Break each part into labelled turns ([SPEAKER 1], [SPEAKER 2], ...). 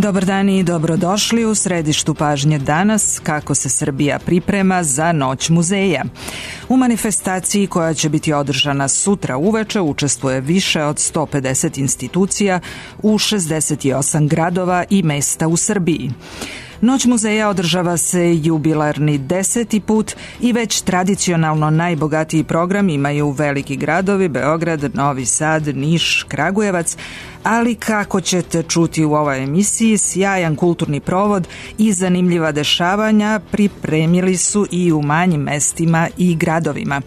[SPEAKER 1] Dobar dan i dobrodošli u središtu pažnje danas kako se Srbija priprema za Noć muzeja. U manifestaciji koja će biti održana sutra uveče učestvuje više od 150 institucija u 68 gradova i mesta u Srbiji. Noć muzeja održava se jubilarni 10. put i već tradicionalno najbogatiji program imaju veliki gradovi Beograd, Novi Sad, Niš, Kragujevac, ali kako ćete čuti u ovoj emisiji, sjajan kulturni provod i zanimljiva dešavanja pripremili su i u manjim mestima i gradovima.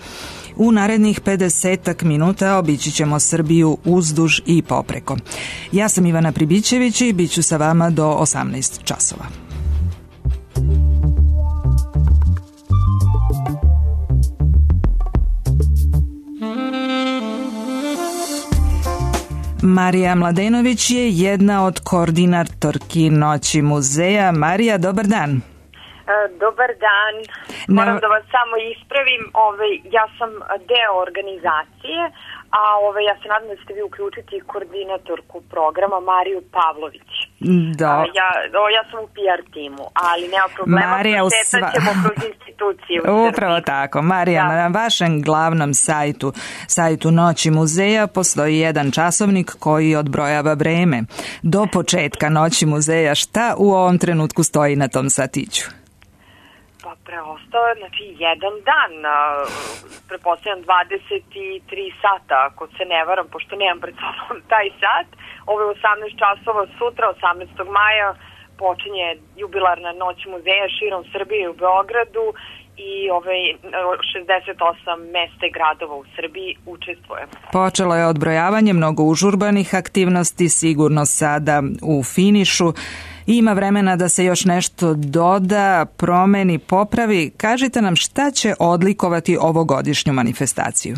[SPEAKER 1] U narednih 50 minuta obići ćemo Srbiju uzduž i popreko. Ja sam Ivana Pribićević i bit ću sa vama do 18 časova. Marija Mladenović je jedna od koordinatorki Noći muzeja. Marija, dobar dan.
[SPEAKER 2] Dobar dan. Moram da vas samo ispravim. Ja sam deo organizacije, a ja se nadam da ćete vi uključiti koordinatorku programa Mariju Pavlović.
[SPEAKER 1] Da.
[SPEAKER 2] Ja sam u PR timu, ali nema problema,
[SPEAKER 1] Marija,
[SPEAKER 2] prošetat ćemo kroz institucije.
[SPEAKER 1] Upravo tako. Marija, na vašem glavnom sajtu Noći muzeja postoji jedan časovnik koji odbrojava vreme. Do početka Noći muzeja šta u ovom trenutku stoji na tom satiću?
[SPEAKER 2] Pa preostao je, jedan dan, pretpostavljam 23 sata, ako se ne varam, pošto nemam pred sobom taj sat. Ovo je 18 časova sutra, 18. maja, počinje jubilarna Noć muzeja širom Srbije u Beogradu i 68 mesta i gradova u Srbiji učestvuje.
[SPEAKER 1] Počelo je odbrojavanje mnogo užurbanih aktivnosti, sigurno sada u finišu. Ima vremena da se još nešto doda, promeni, popravi. Kažite nam šta će odlikovati ovogodišnju manifestaciju?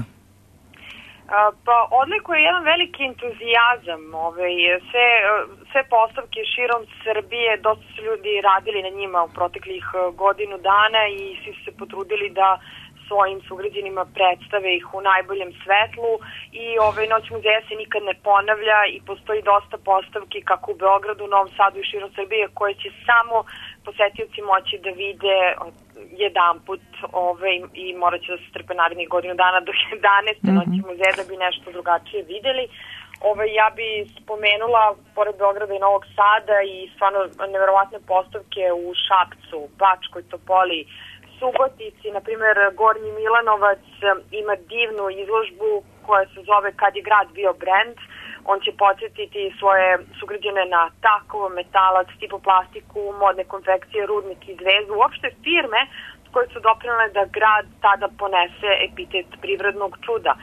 [SPEAKER 2] Pa odlikuje jedan veliki entuzijazam. Sve postavke širom Srbije, dosta su ljudi radili na njima u proteklih godinu dana i svi su se potrudili da svojim sugrađanima predstave ih u najboljem svetlu i Noć muzeja se nikad ne ponavlja i postoji dosta postavki kako u Beogradu, Novom Sadu i širom Srbije koje će samo posetioci moći da vide jedanput i morat će da se strpe narednih godinu dana do 11. Noći muzeja da bi nešto drugačije videli. Ja bi spomenula, pored Beograda i Novog Sada i stvarno neverovatne postavke u Šapcu, Bačkoj Topoli, Subotici, na primjer Gornji Milanovac ima divnu izložbu koja se zove Kad je grad bio brend. On će podsjetiti svoje sugrađane na takovo, metalac, tipoplastiku, modne konfekcije, rudnik i zvezdu, uopšte firme koje su doprinele da grad tada ponese epitet privrednog čuda.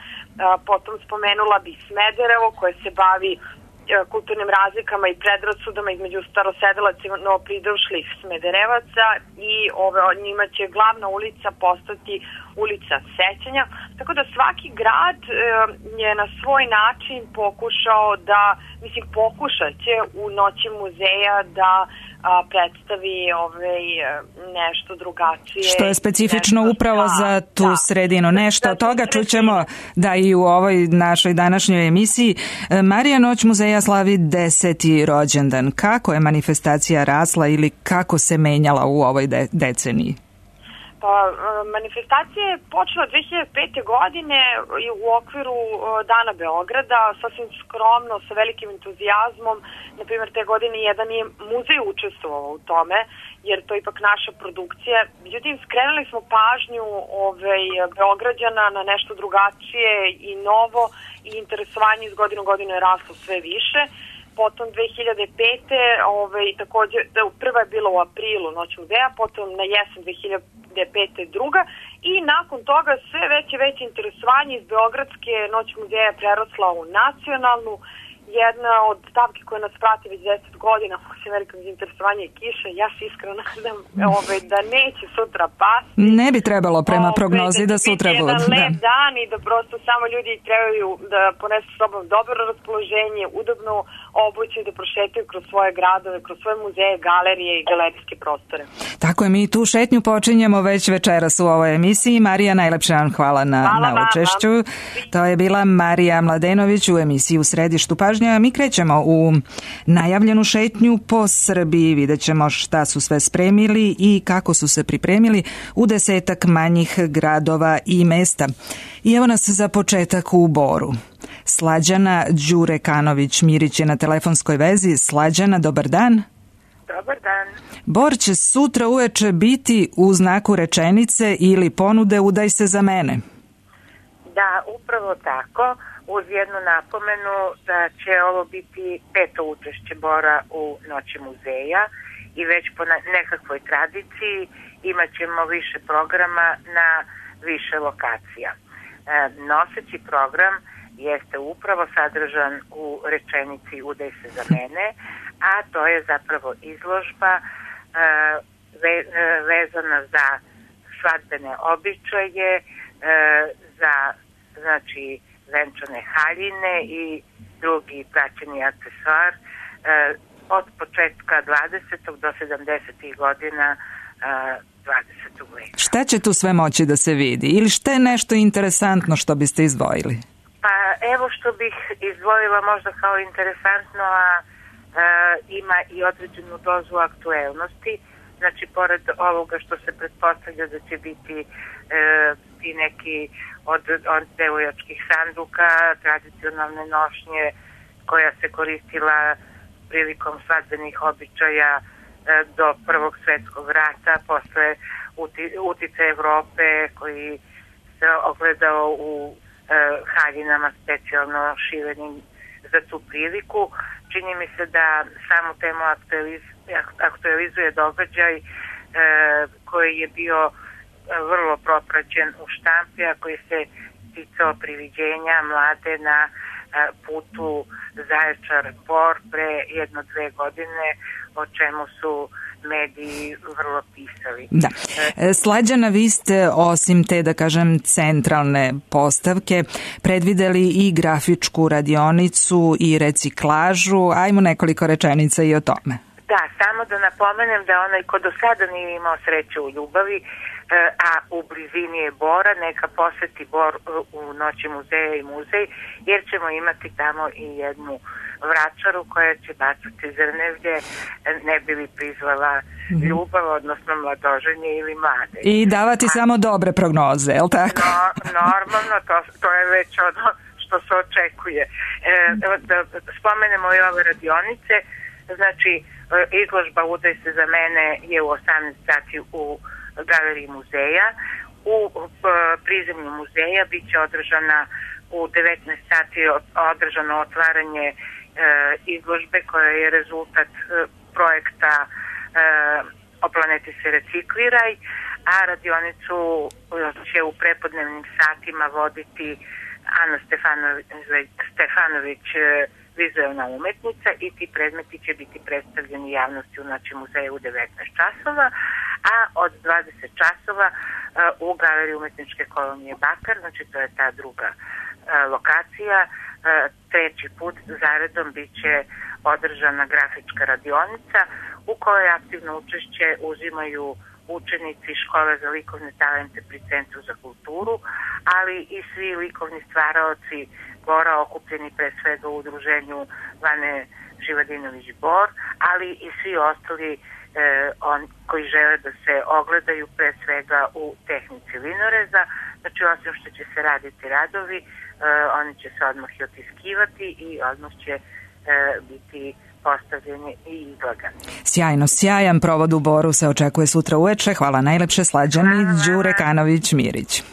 [SPEAKER 2] Potom spomenula bi Smederevo koje se bavi kulturnim razlikama i predrasudama između starosedelaca i novopridrušlih Smederevaca i njima će glavna ulica postati ulica sećanja. Tako da svaki grad je na svoj način pokušao pokušat će u Noći muzeja da predstavi nešto drugačije.
[SPEAKER 1] Što je specifično upravo za tu sredinu. Nešto od toga čućemo da i u ovoj našoj današnjoj emisiji. Marija, Noć muzeja slavi 10. rođendan. Kako je manifestacija rasla ili kako se menjala u ovoj deceniji?
[SPEAKER 2] Pa, manifestacija je počela 2005. godine u okviru Dana Beograda, sasvim skromno, sa velikim entuzijazmom. Naprimjer, te godine jedan je muzej učestvovao u tome, jer to je ipak naša produkcija. Međutim, skrenuli smo pažnju Beograđana na nešto drugačije i novo i interesovanje iz godine u godinu je raslo sve više. Potom 2005. također, prva je bila u aprilu Noć muzeja, potom na jesen 2005. druga i nakon toga sve veće interesovanje iz Beogradske Noć muzeja je prerasla u nacionalnu. Jedna od stavki koja nas prati već 10 godina, osim velikog interesovanja i kiše, ja se iskreno nadam da neće sutra pasti.
[SPEAKER 1] Ne bi trebalo prema prognozi da sutra bude.
[SPEAKER 2] Da će biti jedan lep dan i da prosto samo ljudi trebaju da ponesu s sobom dobro raspoloženje, udobno obuće da prošetaju kroz svoje gradove, kroz svoje muzeje, galerije i galerijske prostore.
[SPEAKER 1] Tako je, mi tu šetnju počinjemo već večeras u ovoj emisiji. Marija, najlepše vam hvala na učešću. To je bila Marija Mladenović u emisiji U središtu pažnje. pažnja. Mi krećemo u najavljenu šetnju po Srbiji. Vidjet ćemo šta su sve spremili i kako su se pripremili u 10 manjih gradova i mesta. I evo nas za početak u Boru. Slađana Đurekanović-Mirić je na telefonskoj vezi. Slađana, dobar dan.
[SPEAKER 3] Dobar dan.
[SPEAKER 1] Bor će sutra uveče biti u znaku rečenice ili ponude udaj se za mene.
[SPEAKER 3] Da, upravo tako, uz jednu napomenu da će ovo biti 5. učešće Bora u Noći muzeja i već po nekakvoj tradiciji imat ćemo više programa na više lokacija. Noseći program jeste upravo sadržan u rečenici udaj se za mene, a to je zapravo izložba vezana za svadbene običaje, za venčane haljine i drugi praćeni aksesuar od početka 20. do 70. godina 20. veka.
[SPEAKER 1] Šta će tu sve moći da se vidi? Ili šta je nešto interesantno što biste izdvojili?
[SPEAKER 3] Pa evo što bih izdvojila možda kao interesantno, a ima i određenu dozu aktuelnosti. Znači, pored ovoga što se pretpostavlja da će biti ti neki od devojačkih sanduka, tradicionalne nošnje koja se koristila prilikom svadbenih običaja do Prvog svjetskog rata, posle uticaja Evrope koji se ogledao u haljinama specijalno šivenim za tu priliku. Čini mi se da samu temu aktualizuje događaj koji je bio vrlo propraćen u štampi, a koji se ticao priviđenja mlade na putu Zaječar-Bor pre 1-2 godine, o čemu su mediji vrlo pisali.
[SPEAKER 1] Da. Slađana, vi ste osim te, da kažem, centralne postavke predvideli i grafičku radionicu i reciklažu. Ajmo nekoliko rečenica i o tome.
[SPEAKER 3] Da, samo da napomenem da onaj ko do sada nije imao sreće u ljubavi, a u blizini je Bora, neka poseti Bor u Noći muzeja i muzej, jer ćemo imati tamo i jednu vračaru koja će bacati zrnevlje, ne bi li prizvala ljubav, odnosno mladoženje ili mlade.
[SPEAKER 1] I davati samo dobre prognoze, je li tako?
[SPEAKER 3] Normalno, to je već ono što se očekuje. Da spomenemo i ove radionice, znači izložba Udaj se za mene je u 18 sati u galeriji muzeja. U prizemlju muzeja bit će održana u 19 sati održano otvaranje izložbe koja je rezultat projekta O planeti se recikliraj, a radionicu će u prepodnevnim satima voditi Ana Stefanović, vizuelna umetnica, i ti predmeti će biti predstavljeni javnosti u Noći muzeja u 19 časova, a od 20 časova u galeriji umetničke kolonije Bakar, znači to je ta druga lokacija, treći put zaredom bit će održana grafička radionica u kojoj aktivno učešće uzimaju učenici škole za likovne talente pri Centru za kulturu, ali i svi likovni stvaraoci Bora okupljeni pre svega u udruženju Vane Živadinović-Bor, ali i svi ostali koji žele da se ogledaju pre svega u tehnici linoreza. Znači, osim što će se raditi radovi, oni će se odmah i otiskivati i odmah će biti postavljeni i izlagani.
[SPEAKER 1] Sjajno, sjajan provod u Boru se očekuje sutra uveče. Hvala najlepše, Slađani Đurekanović-Mirić.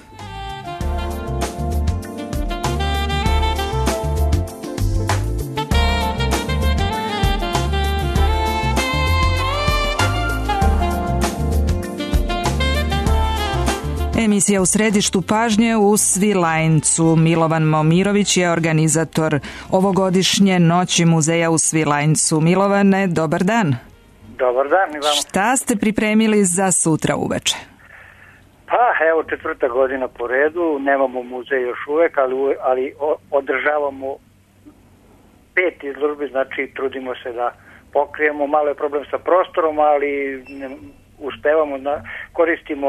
[SPEAKER 1] Emisija u središtu pažnje u Svilajncu. Milovan Momirović je organizator ovogodišnje Noći muzeja u Svilajncu. Milovane, dobar dan.
[SPEAKER 4] Dobar dan i vama.
[SPEAKER 1] Šta ste pripremili za sutra uveče?
[SPEAKER 4] Pa evo, 4. godina po redu, nemamo muzej još uvek, ali održavamo 5 izložbi, znači trudimo se da pokrijemo. Malo je problem sa prostorom, ali uspevamo, koristimo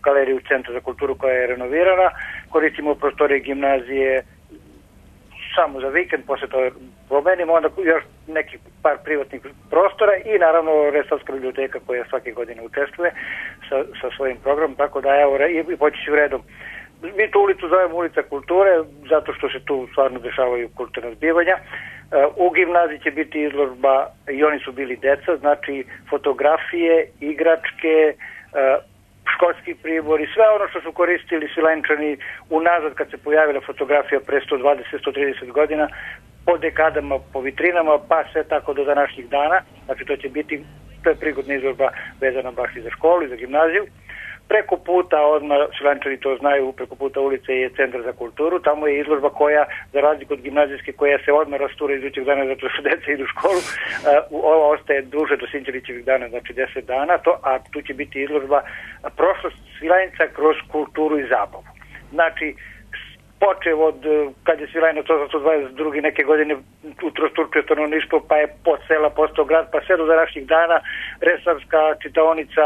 [SPEAKER 4] galeriju Centra za kulturu koja je renovirana, koristimo prostorije gimnazije samo za vikend, posle toga promenimo, onda još nekih par privatnih prostora i naravno Resavska biblioteka koja svake godine učestvuje sa svojim programom, tako da evo, i poći ću redom. Mi tu ulicu zovemo ulica kulture, zato što se tu stvarno dešavaju kulturna zbivanja. U gimnaziji će biti izložba I oni su bili deca, znači fotografije, igračke, školski pribori, sve ono što su koristili Svilajnčani unazad kad se pojavila fotografija pre 120-130 godina, po dekadama, po vitrinama, pa sve tako do današnjih dana. Znači to je prigodna izložba vezana baš i za školu i za gimnaziju. Preko puta, odmah Svilajnčani to znaju, preko puta ulice je Centar za kulturu, tamo je izložba koja, za razliku od gimnazijske, koja se odmah rastura idućeg dana zato što deca idu u školu, ova ostaje duže do Sinđelićevih dana, znači 10 dana, a tu će biti izložba prošlost Svilajnca kroz kulturu i zabavu. Znači, počev od kad je Svilajnac 1822. neke godine utrostručio stanovništvo, pa je pod sela postao grad, pa sve do današnjih dana Resavska čitaonica,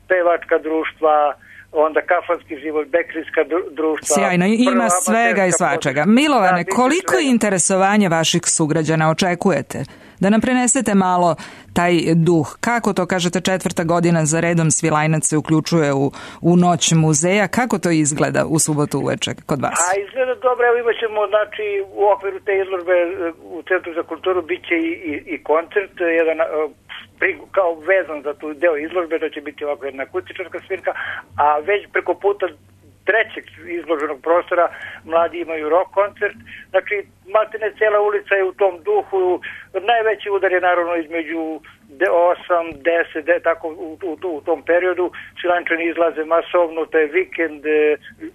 [SPEAKER 4] pevačka društva, onda kafanski život, bekrijska društva.
[SPEAKER 1] Sjajno, ima svega i svačega. Milovane, koliko interesovanja vaših sugrađana očekujete? Da nam prenesete malo taj duh. Kako to, kažete, 4. godina za redom Svilajnac se uključuje u noć muzeja. Kako to izgleda u subotu uveče kod vas?
[SPEAKER 4] Izgleda dobro. Evo imat ćemo, znači, u okviru te izložbe u Centru za kulturu bit će i koncert, jedan kao vezan za tu deo izložbe, to će biti ovako jedna akustičarska svirka, a već preko puta trećeg izloženog prostora mladi imaju rock koncert. Znači, maltene cijela ulica je u tom duhu. Najveći udar je naravno između 8, 10, tako u tom periodu. Svilajnčani izlaze masovno, to je vikend.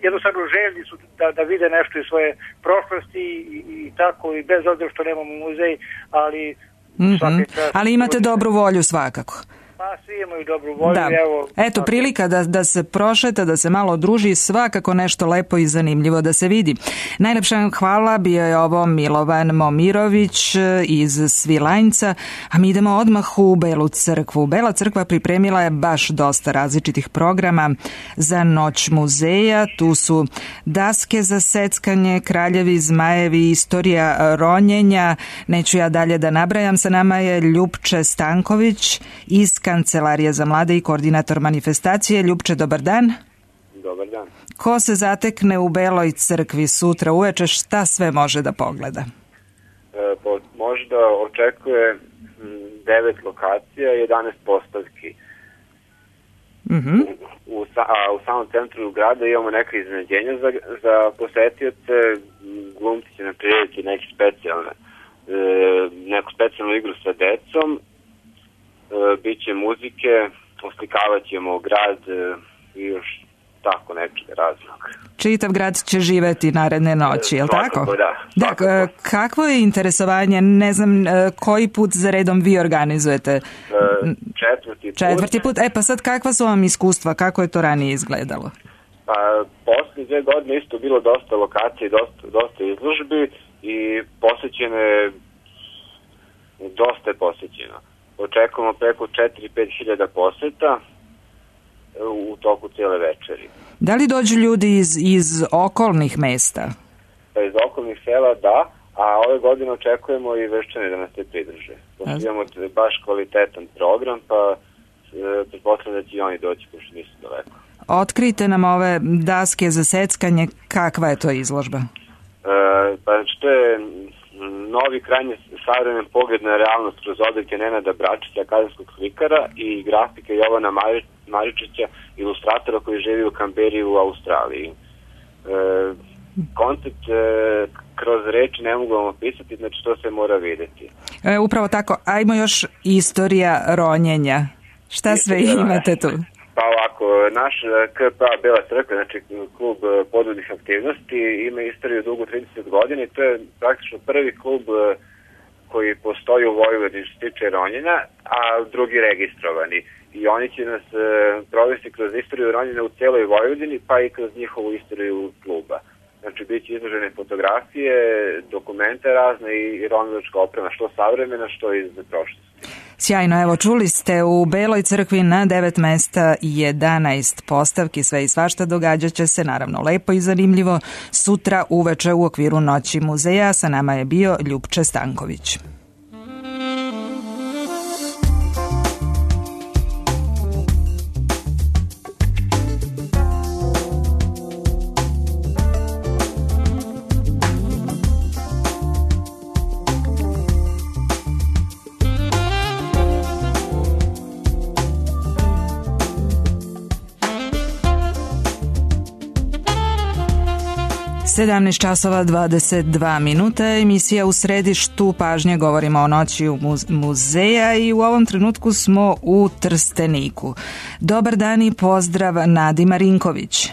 [SPEAKER 4] Jednostavno željni su da vide nešto iz svoje prošlosti i tako, i bez obzira što nemamo muzej, ali
[SPEAKER 1] ali imate dobru volju svakako.
[SPEAKER 4] Pa svi imaju dobru volju.
[SPEAKER 1] Da. Eto, prilika da se prošeta, da se malo druži, svakako nešto lepo i zanimljivo da se vidi. Najlepša hvala, bio je ovo Milovan Momirović iz Svilajnca, a mi idemo odmah u Belu crkvu. Bela crkva pripremila je baš dosta različitih programa za noć muzeja. Tu su daske za seckanje, kraljevi, zmajevi, istorija ronjenja. Neću ja dalje da nabrajam. Sa nama je Ljupče Stanković iz Kancelarije za mlade i koordinator manifestacije. Ljupče, dobar dan.
[SPEAKER 5] Dobar dan.
[SPEAKER 1] Ko se zatekne u Beloj crkvi sutra uveče, šta sve može da pogleda?
[SPEAKER 5] Može da očekuje 9 lokacija i 11 postavki. U samom centru grada imamo neka iznenađenja za posetioce. Glumci će napraviti neku specijalnu igru sa decom. Biće muzike, oslikavat ćemo grad i još tako neki razlog.
[SPEAKER 1] Čitav grad će živeti naredne noći, je li tako?
[SPEAKER 5] Da.
[SPEAKER 1] Kakvo je interesovanje, ne znam, koji put za redom vi organizujete?
[SPEAKER 5] Četvrti
[SPEAKER 1] put. Pa sad kakva su vam iskustva, kako je to ranije izgledalo?
[SPEAKER 5] Pa poslije 2 godine isto bilo dosta lokacija i dosta izložbi i dosta je posjećeno. Očekujemo preko 4-5 hiljada poseta u toku cijele večeri.
[SPEAKER 1] Da li dođu ljudi iz okolnih mesta?
[SPEAKER 5] Pa iz okolnih sela da, a ove godine očekujemo i Vrščane da nas se pridruže. Imamo baš kvalitetan program, pa pretpostavljam da će i oni doći, pošto nisu daleko.
[SPEAKER 1] Otkrijte nam ove daske za seckanje, kakva je to izložba?
[SPEAKER 5] Pa to je novi krajnje savremen pogled na realnost kroz odlike Nenada Bračića, akademskog slikara, i grafike Jovana Maričića, ilustratora koji živi u Kamberi u Australiji. Koncept kroz reči ne mogu vam opisati, znači to se mora vidjeti.
[SPEAKER 1] Upravo tako, ajmo još istorija ronjenja. Šta sve imate tu?
[SPEAKER 5] Pa ovako, naš KPA Bela crkva, znači klub podvodnih aktivnosti, ima istoriju dugu 30 godina i to je praktično prvi klub koji postoji u Vojvodini što se tiče ronjenja, a drugi registrovani. I oni će nas provesti kroz istoriju ronjenja u cijeloj Vojvodini, pa i kroz njihovu istoriju kluba. Znači, bit će izložene fotografije, dokumente razne i ronilačka oprema, što savremena, što iz prošlosti.
[SPEAKER 1] Sjajno, evo čuli ste u Beloj crkvi na 9 mesta 11 postavki, sve i svašta događat će se, naravno lepo i zanimljivo, sutra uveče u okviru Noći muzeja. Sa nama je bio Ljupče Stanković. Sedamnaest časova 22 minuta, emisija U središtu pažnje, govorimo o Noći muzeja i u ovom trenutku smo u Trsteniku. Dobar dan i pozdrav Nadi Marinković.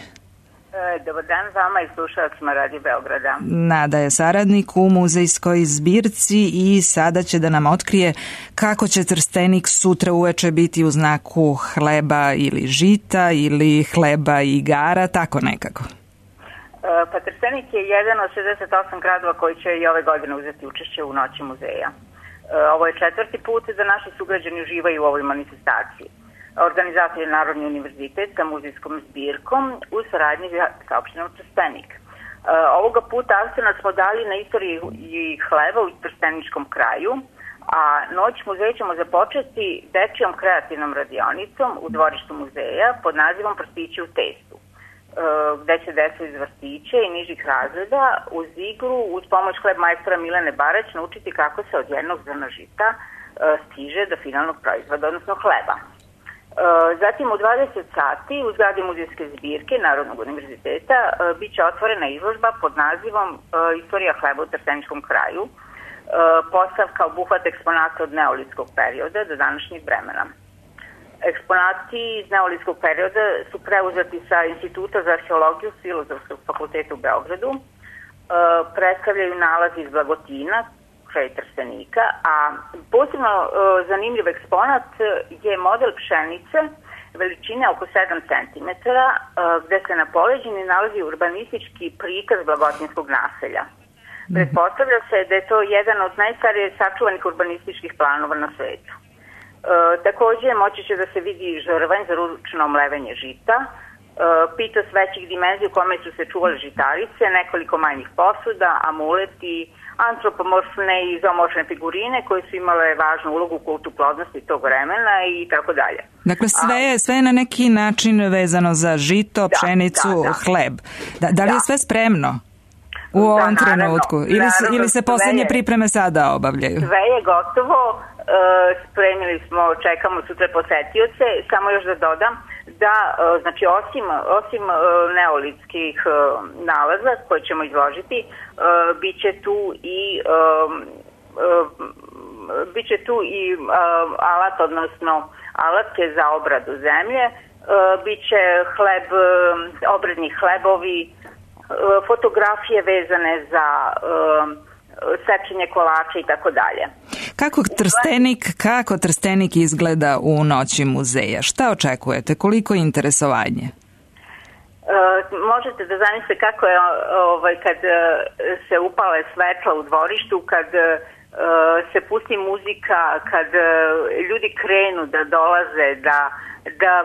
[SPEAKER 6] Dobar dan vama i slušalcima Radio Beograda.
[SPEAKER 1] Nada je saradnik u muzejskoj zbirci i sada će da nam otkrije kako će Trstenik sutra uveče biti u znaku hleba ili žita ili hleba i igara, tako nekako.
[SPEAKER 6] Pa Trstenik je jedan od 68 gradova koji će i ove godine uzeti učešće u Noći muzeja. Ovo je 4. put da naši sugrađani uživaju u ovoj manifestaciji. Organizator je Narodni univerzitet sa muzejskom zbirkom u saradnji sa opštinom Trstenik. Ovoga puta akcenat smo dali na istoriji hleba u trsteničkom kraju, a Noć muzeja ćemo započeti dečijom kreativnom radionicom u dvorištu muzeja pod nazivom Prstići u testu, gde će deca iz vrtića i nižih razreda uz igru, uz pomoć hleb majstora Milene Barać naučiti kako se od jednog zrna žita stiže do finalnog proizvoda, odnosno hleba. Zatim u 20 sati u zgradi muzejske zbirke Narodnog univerziteta bit će otvorena izložba pod nazivom Istorija hleba u trsteničkom kraju. Postavka obuhvata eksponata od neolitskog perioda do današnjeg vremena. Eksponati iz neolitskog perioda su preuzeti sa Instituta za arheologiju Filozofskog fakulteta u Beogradu. Predstavljaju nalazi iz Blagotina, kraj Trstenika, a posebno zanimljiv eksponat je model pšenice veličine oko 7 cm, gde se na poleđini nalazi urbanistički prikaz blagotinskog naselja. Pretpostavlja se da je to jedan od najstarije sačuvanih urbanističkih planova na svetu. Takođe, moći će da se vidi žrvanj za ručno mlevenje žita, pitos većih dimenzija u kome su se čuvale žitarice, nekoliko manjih posuda, amuleti, antropomorfne i zoomorfne figurine koje su imale važnu ulogu u kultu plodnosti tog vremena i tako dalje.
[SPEAKER 1] Dakle, sve je na neki način vezano za žito, pšenicu, hleb. Da li je sve spremno u ovom trenutku? Ili se poslednje pripreme sada obavljaju?
[SPEAKER 6] Sve je gotovo. Spremili smo, čekamo sutra posetioce. Samo još da dodam da, znači, osim neolitskih nalaza koje ćemo izložiti, biće tu i alat, odnosno alatke za obradu zemlje, biće hleb, obredni hlebovi, fotografije vezane za sečenje kolača i tako dalje.
[SPEAKER 1] Kako Trstenik izgleda u Noći muzeja? Šta očekujete? Koliko je interesovanje?
[SPEAKER 6] Možete da zamislite kako je kad se upale svetla u dvorištu, kad se pusti muzika, kad ljudi krenu da dolaze, da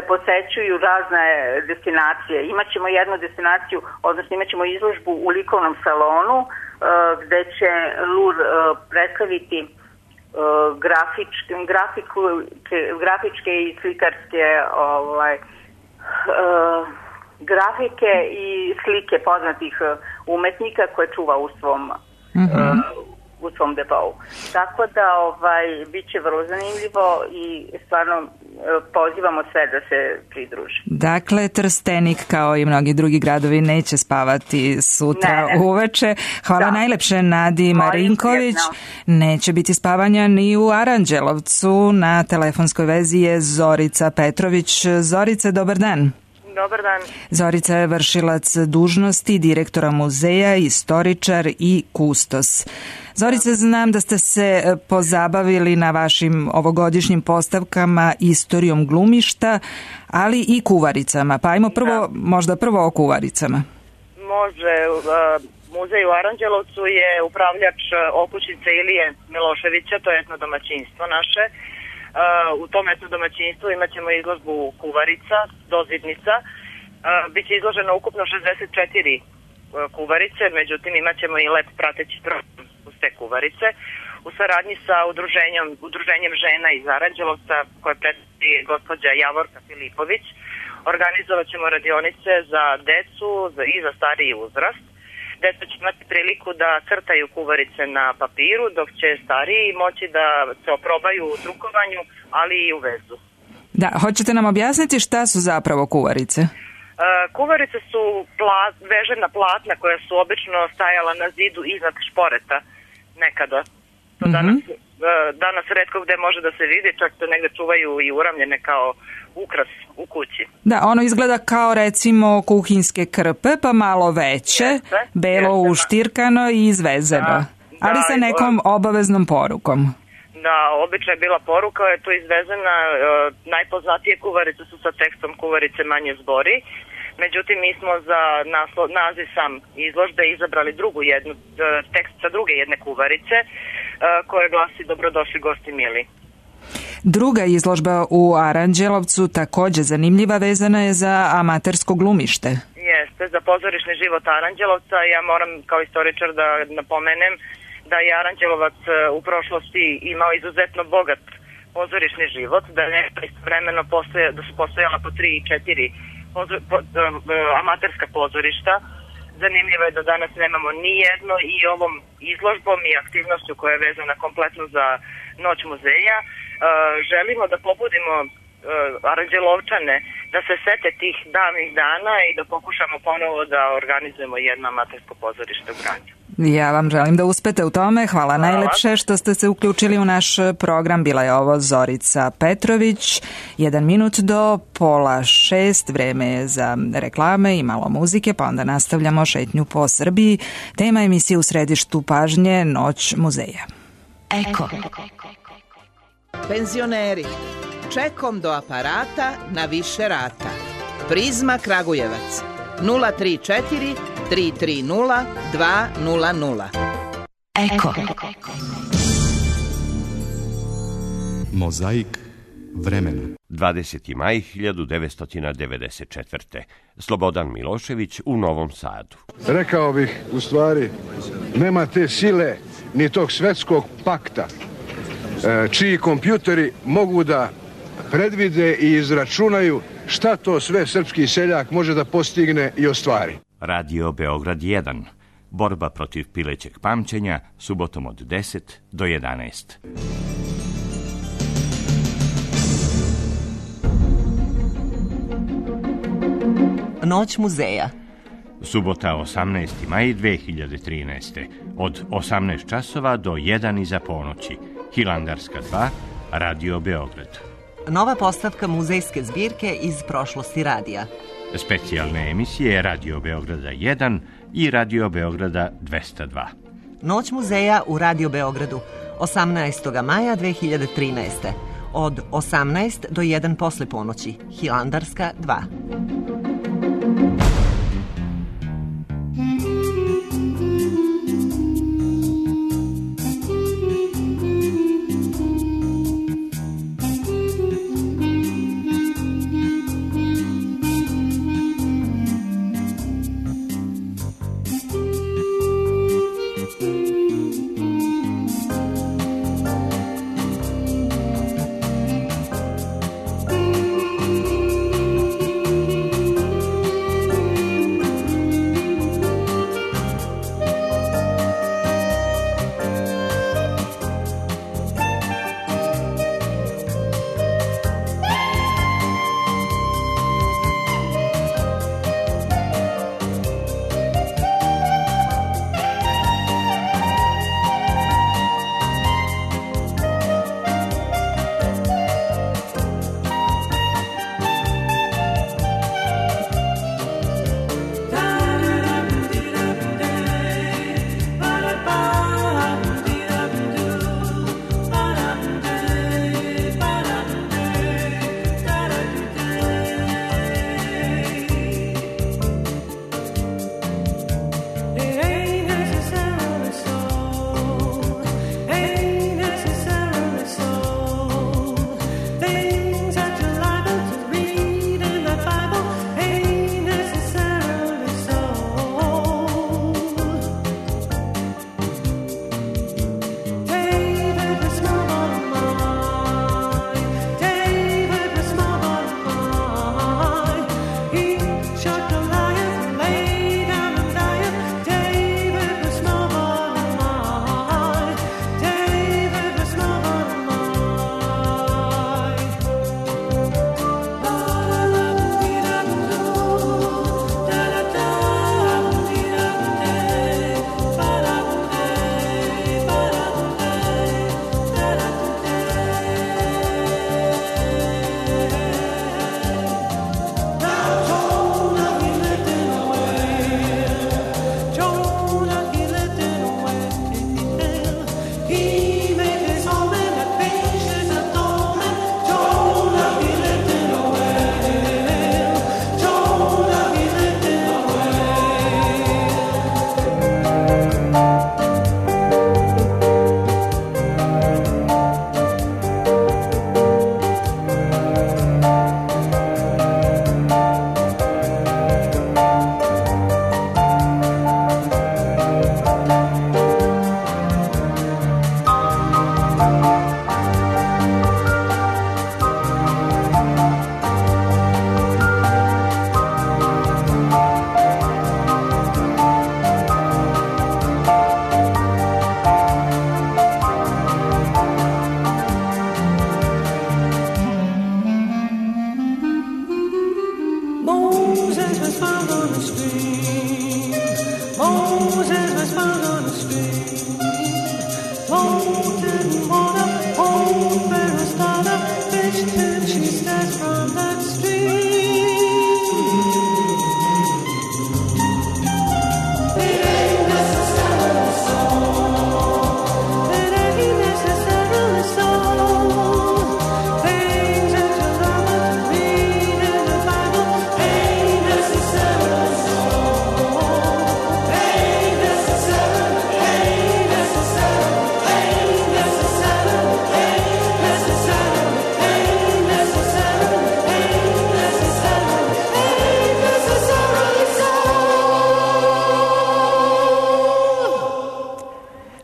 [SPEAKER 6] posećuju razne destinacije. Imaćemo jednu destinaciju, odnosno imaćemo izložbu u likovnom salonu gde će Lur predstaviti grafičke i slikarske grafike i slike poznatih umetnika koje čuva u svom depou. Tako da bit će vrlo zanimljivo i stvarno pozivamo sve da se pridruže.
[SPEAKER 1] Dakle, Trstenik kao i mnogi drugi gradovi neće spavati sutra uveče. Hvala najlepše Nadi Marinković. Neće biti spavanja ni u Aranđelovcu. Na telefonskoj vezi je Zorica Petrović. Zorice, dobar dan.
[SPEAKER 2] Dobar dan.
[SPEAKER 1] Zorica je vršilac dužnosti direktora muzeja, istoričar i kustos. Zorice, znam da ste se pozabavili na vašim ovogodišnjim postavkama istorijom glumišta, ali i kuvaricama. Pa ajmo možda prvo o kuvaricama.
[SPEAKER 2] Može.
[SPEAKER 7] Muzej u Aranđelovcu je upravljač okućnice Ilije Miloševića, to je etno domaćinstvo naše. U tom etno domaćinstvu imat ćemo izložbu kuvarica, dozidnica. Biće izloženo ukupno 64 kuvarice, međutim imat ćemo i lep prateći program uz te kuvarice. U saradnji sa udruženjem žena iz Aranđelovca, koje predstavlja gospođa Javorka Filipović, organizovat ćemo radionice za decu i za stariji uzrast. Deca će imati priliku da crtaju kuvarice na papiru, dok će stariji moći da se oprobaju u drukovanju, ali i u vezu.
[SPEAKER 1] Da, hoćete nam objasniti šta su zapravo kuvarice?
[SPEAKER 7] Kuvarice su vežena platna koja su obično stajala na zidu iznad šporeta nekada. To danas retko gde može da se vidi, čak se negde čuvaju i uramljene kao ukras u kući.
[SPEAKER 1] Da, ono izgleda kao recimo kuhinske krpe, pa malo veće, belo uštirkano i izvezeno, ali sa nekom obaveznom porukom.
[SPEAKER 7] Da, obično je bila poruka, je tu izvezena, najpoznatije kuvarice su sa tekstom kuvarice manje zbori, međutim mi smo za naziv sam izložbe izabrali tekst sa druge jedne kuvarice, koje glasi dobrodošli gosti mili.
[SPEAKER 1] Druga izložba u Aranđelovcu, takođe zanimljiva, vezana je za amatersko glumište.
[SPEAKER 7] Jeste, za pozorišni život Aranđelovca. Ja moram kao istoričar da napomenem da je Aranđelovac u prošlosti imao izuzetno bogat pozorišni život, da je istovremeno da su postojala po 3 i 4 amaterska pozorišta. Zanimljivo je da danas nemamo ni jedno i ovom izložbom i aktivnošću koja je vezana kompletno za Noć muzeja želimo da pobudimo Aranđelovčane da se sete tih davnih dana i da pokušamo ponovo da organizujemo jedno amatersko pozorište u gradu.
[SPEAKER 1] Ja vam želim da uspete u tome. Hvala najlepše što ste se uključili u naš program. Bila je ovo Zorica Petrović. 1 minut do 5:30. Vreme je za reklame i malo muzike, pa onda nastavljamo šetnju po Srbiji. Tema emisije u središtu pažnje Noć muzeja.
[SPEAKER 8] Eko. Penzioneri. Čekom do aparata na više rata. Prizma Kragujevac. 034 330 200. Eko.
[SPEAKER 9] Mozaik vremena.
[SPEAKER 10] 20. maj 1994. Slobodan Milošević u Novom Sadu.
[SPEAKER 11] Rekao bih, u stvari, nema te sile ni tog svetskog pakta, čiji kompjuteri mogu da predvide i izračunaju šta to sve srpski seljak može da postigne i ostvari.
[SPEAKER 10] Radio Beograd 1. Borba protiv pilećeg pamćenja, subotom od 10 do 11.
[SPEAKER 8] Noć muzeja.
[SPEAKER 10] Subota 18. maj 2013. Od 18 časova do 1 iza ponoći. Hilandarska 2, Radio Beograd.
[SPEAKER 8] Nova postavka muzejske zbirke iz prošlosti radija.
[SPEAKER 10] Specijalne emisije Radio Beograda 1 i Radio Beograda 202.
[SPEAKER 8] Noć muzeja u Radio Beogradu 18. maja 2013. Od 18 do 1 posle ponoći. Hilandarska 2.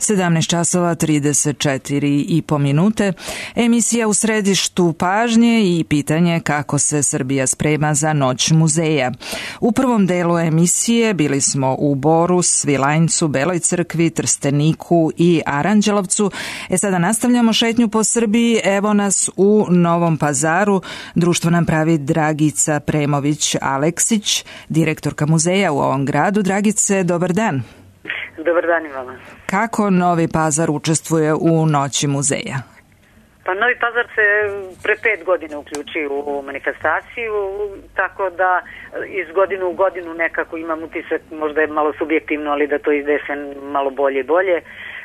[SPEAKER 1] 17 časova 34,5 minute. Emisija u središtu pažnje i pitanje kako se Srbija sprema za Noć muzeja. U prvom delu emisije bili smo u Boru, Svilajncu, Beloj crkvi, Trsteniku i Aranđelovcu. Sada nastavljamo šetnju po Srbiji. Evo nas u Novom Pazaru. Društvo nam pravi Dragica Premović-Aleksić, direktorka muzeja u ovom gradu. Dragice, dobar dan.
[SPEAKER 9] Dobar dan i vama.
[SPEAKER 1] Kako Novi Pazar učestvuje u Noći muzeja?
[SPEAKER 9] Pa Novi Pazar se pre 5 godina uključio u manifestaciju, tako da iz godine u godinu nekako imam utisak, možda je malo subjektivno, ali da to ide se malo bolje i bolje.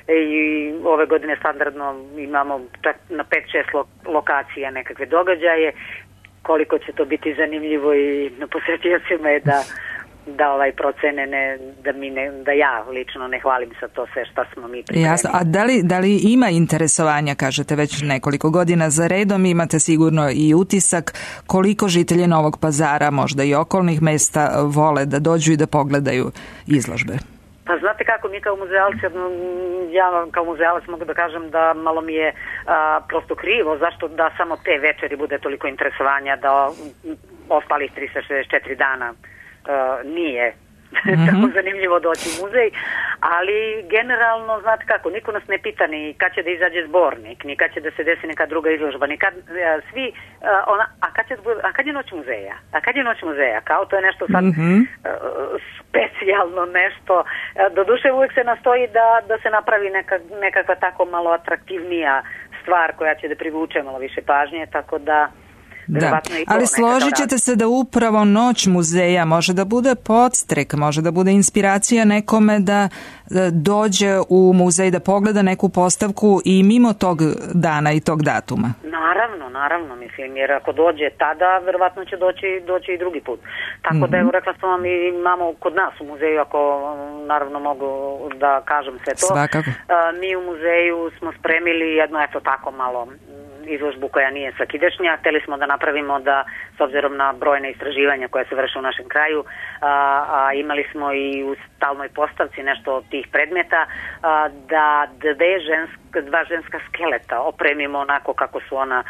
[SPEAKER 9] I ove godine standardno imamo čak na 5-6 lokacija nekakve događaje. Koliko će to biti zanimljivo i na posjetiocima je da procene da ja lično ne hvalim sa to sve šta smo mi pripremili.
[SPEAKER 1] Jasno, a da li ima interesovanja, kažete već nekoliko godina za redom, imate sigurno i utisak koliko žitelji Novog Pazara, možda i okolnih mesta vole da dođu i da pogledaju izložbe?
[SPEAKER 9] Pa znate kako, mi kao muzealci, ja kao muzealac mogu da kažem da malo mi je prosto krivo, zašto da samo te večeri bude toliko interesovanja, da ostalih 364 dana nije tako zanimljivo doći u muzej, ali generalno, znate kako, niko nas ne pita ni kad će da izađe zbornik, ni kad će da se desi neka druga izložba, ni kad svi, a kad je Noć muzeja? A kad je Noć muzeja? Kao to je nešto sad specijalno nešto. Doduše uvijek se nastoji da se napravi nekakva tako malo atraktivnija stvar koja će da privuče malo više pažnje, tako da
[SPEAKER 1] da, ali složit ćete se da upravo Noć muzeja može da bude podstrek, može da bude inspiracija nekome da dođe u muzej, da pogleda neku postavku i mimo tog dana i tog datuma.
[SPEAKER 9] Naravno, mislim, jer ako dođe tada, verovatno će doći i drugi put. Tako da, evo, rekla sam vam, imamo kod nas u muzeju, ako naravno mogu da kažem sve to.
[SPEAKER 1] Svakako.
[SPEAKER 9] Mi u muzeju smo spremili jedno, eto tako malo, izložbu koja nije svakidašnja. Hteli smo da napravimo da, s obzirom na brojne istraživanja koje se vrše u našem kraju, a imali smo i u stalnoj postavci nešto od tih predmeta, da dva ženska skeleta opremimo onako kako su ona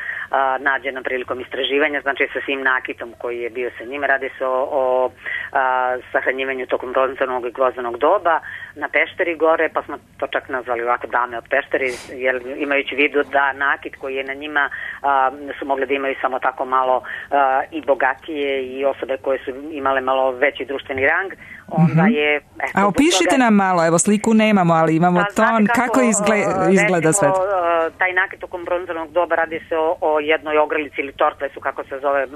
[SPEAKER 9] nađena prilikom istraživanja, znači sa svim nakitom koji je bio sa njima. Radi se o sahranjivanju tokom bronzanog i gvozdenog doba na Pešteri gore, pa smo to čak nazvali ovako dame od Pešteri, jer imajući vidu da nakit koji je na njima su mogli da imaju samo tako malo i bogatije i osobe koje su imale malo veći društveni rang, onda je...
[SPEAKER 1] A opišite nam malo, evo sliku nemamo, ali imamo ton, kako izgleda sve?
[SPEAKER 9] Taj nakit tokom bronzanog doba, radi se o jednoj ogrlici ili tortlesu, kako se zove,